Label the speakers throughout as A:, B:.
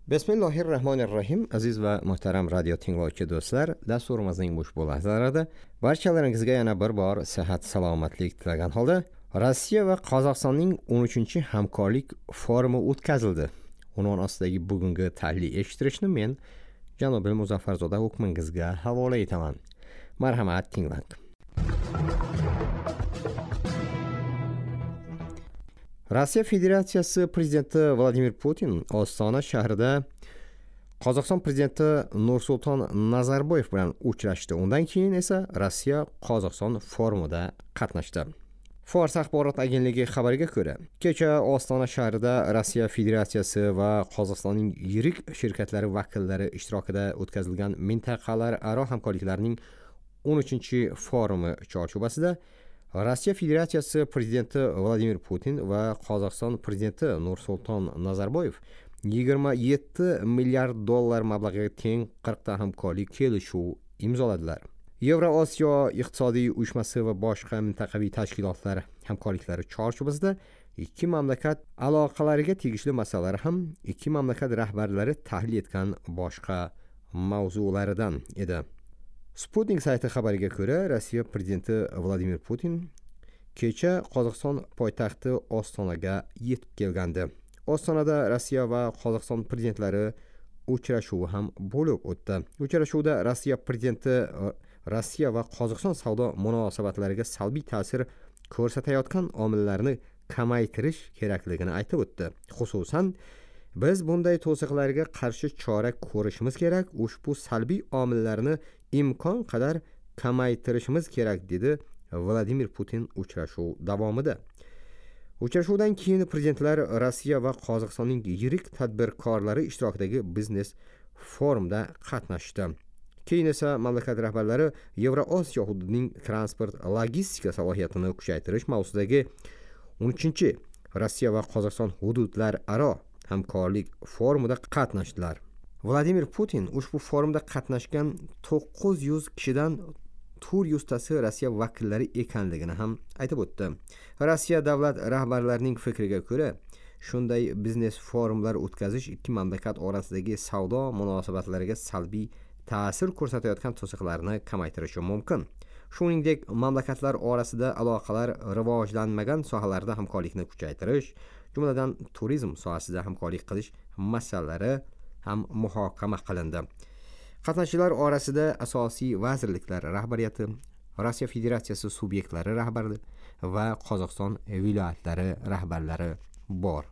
A: Bismillahirrahmanirrahim. Aziz va muhtaram radio tinglovchi do'stlar, dasturimizning ushbu lahzalarida barchalaringizga yana bir bor sihat salomatlik tilagan holda Rossiya va Qozog'istonning 13-hamkorlik forumi o'tkazildi. Unvon ostidagi bugungi tahliliy eshittirishni men Janobil Muzaffarzoda hukmingizga havola etaman. Marhamat, tinglang. Rossiya Federatsiyasi prezidenti Vladimir Putin Ostona shahrida Qozog'iston prezidenti Nursulton Nazarboyev bilan uchrashdi. Undan keyin esa Rossiya Qozog'iston forumida qatnashdi. Fors axborot agentligi xabariga ko'ra, kecha Ostona shahrida Rossiya Federatsiyasi va Qozog'istonning yirik shirkatlari vakillari ishtirokida o'tkazilgan mintaqalararo hamkorliklarning 13-forumi chorchuvasida Rossiya Federatsiyasi prezidenti Vladimir Putin va Qozog'iston prezidenti Nursulton Nazarboyev 27 milliard dollar mablag'iga teng 40 ta hamkorlik kelishuv imzoladilar. Yevrosiyo iqtisodiy uyushmasi va boshqa mintaqaviy tashkilotlar hamkorliklari chorchuvasida ikki mamlakat aloqalariga tegishli masalalar ham ikki mamlakat rahbarlari tahlil etgan boshqa mavzularidan edi. Sputnik sayti xabariga ko'ra, Rossiya prezidenti Vladimir Putin kecha Qozog'iston poytaxti Ostonaga yetib kelgandi. Ostonada Rossiya va Qozog'iston prezidentlari uchrashuvi ham bo'lib o'tdi. Uchrashuvda Rossiya prezidenti Rossiya va Qozog'iston savdo munosabatlariga salbiy ta'sir ko'rsatayotgan omillarni kamaytirish kerakligini aytib o'tdi. Xususan, biz bunday to'siqlarga qarshi chora ko'rishimiz kerak, ushbu salbiy omillarni imkon qadar kamaytirishimiz kerak, dedi Vladimir Putin uchrashuv davomida. Uchrashuvdan keyin prezidentlar Rossiya va Qozog'istonning yirik tadbirkorlari ishtirokidagi biznes forumda qatnashdi. Keyin esa mamlakat rahbarlari Yevrosiyo hududining transport logistika salohiyatini kuchaytirish mavzusidagi 13 Rossiya va Qozog'iston hududlararo hamkorlik forumida qatnashdilar. Vladimir Putin ushbu forumda qatnashgan 900 kishidan 400 tasi Rossiya vakillari ekanligini ham aytib o'tdi. Rossiya davlat rahbarlarining fikriga ko'ra, shunday biznes forumlar o'tkazish ikki mamlakat orasidagi savdo munosabatlariga salbiy ta'sir ko'rsatayotgan to'siqlarni kamaytirishi mumkin. Shuningdek, mamlakatlar orasida aloqalar rivojlanmagan sohalarda hamkorlikni kuchaytirish, jumladan turizm sohasida hamkorlik qilish masalalari ham muhokama qilindi. Qatnashchilar orasida asosiy vazirliklar rahbariyati, Rossiya Federatsiyasi subyektlari rahbari va Qozog'iston viloyatlari rahbarlari bor.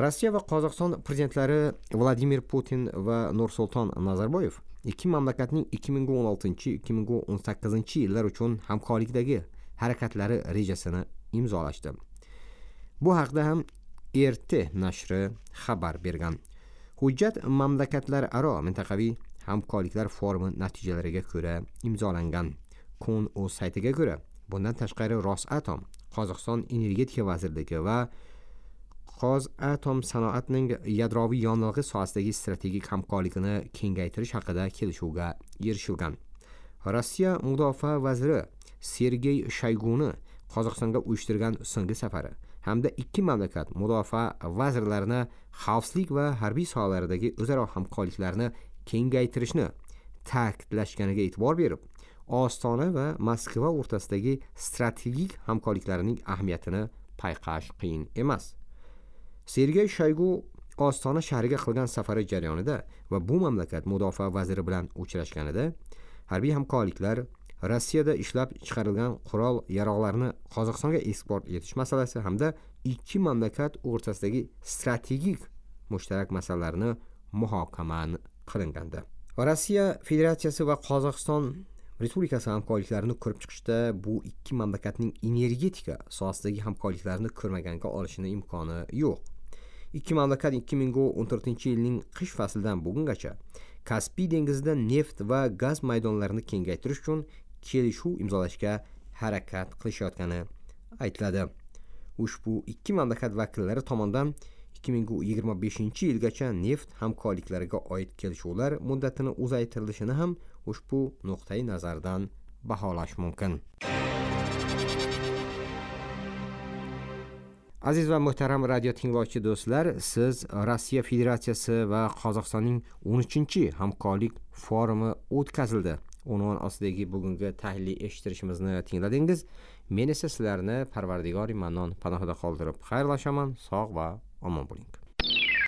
A: Rossiya va Qozog'iston prezidentlari Vladimir Putin va Nursulton Nazarboyev ikki mamlakatning 2016-2018 yillar uchun hamkorlikdagi harakatlari rejasini imzolashdi. Bu haqda ham RT nashri xabar bergan. Hujjat mamlakatlararo mintaqaviy hamkorliklar forumi natijalariga ko'ra imzolangan. Kun.uz saytiga ko'ra, bundan tashqari Rosatom, Qozog'iston energetika vazirligi va Qozatom sanoatning yadroviy yonilg'i sohasidagi strategik hamkorlikni kengaytirish haqida kelishuvga erishilgan. Rossiya mudofaa vaziri Sergey Shoyguni Qozog'istonga uyushtirgan so'nggi safari hamda ikki mamlakat mudofaa vazirlarini xavfsizlik va harbiy sohalaridagi o'zaro hamkorliklarni kengaytirishni ta'kidlashganiga e'tibor berib, Ostona va Moskva o'rtasidagi strategik hamkorliklarning ahamiyatini payqash qiyin emas. Sergey Shoygu Ostona shahriga qilgan safari jarayonida va bu mamlakat mudofaa vaziri bilan uchrashganida harbiy hamkorliklar, Rossiyada ishlab chiqarilgan qurol yarog'larni Qozog'istonga eksport etish masalasi hamda ikki mamlakat o'rtasidagi strategik mushtarak masalalarni muhokama qilingandi. Rossiya Federatsiyasi va Qozog'iston Respublikasi hamkorliklarini ko'rib chiqishda bu ikki mamlakatning energetika sohasidagi hamkorliklarini ko'rmaganga olishini imkoni yo'q. Ikki mamlakat 2014-yilning qish faslidan bugungacha Kaspiy dengizida neft va gaz maydonlarini kengaytirish uchun kelishuv imzolashga harakat qilishayotgani aytiladi. Ushbu ikki mamlakat vakillari tomonidan 2025-yilgacha neft hamkorliklariga oid kelishuvlar muddatini uzaytirilishini ham ushbu nuqtai nazardan baholash mumkin. Aziz va muhtaram radio tinglovchi do'stlar, siz Rossiya Federatsiyasi va Qozog'istonning 13-hamkorlik forumi o'tkazildi unvon ostidagi bugungi tahliliy eshittirishimizni tingladingiz. Men esa sizlarni Parvardigori Mannon panohida qoldirib xayrlashaman. Sog' va omon bo'ling.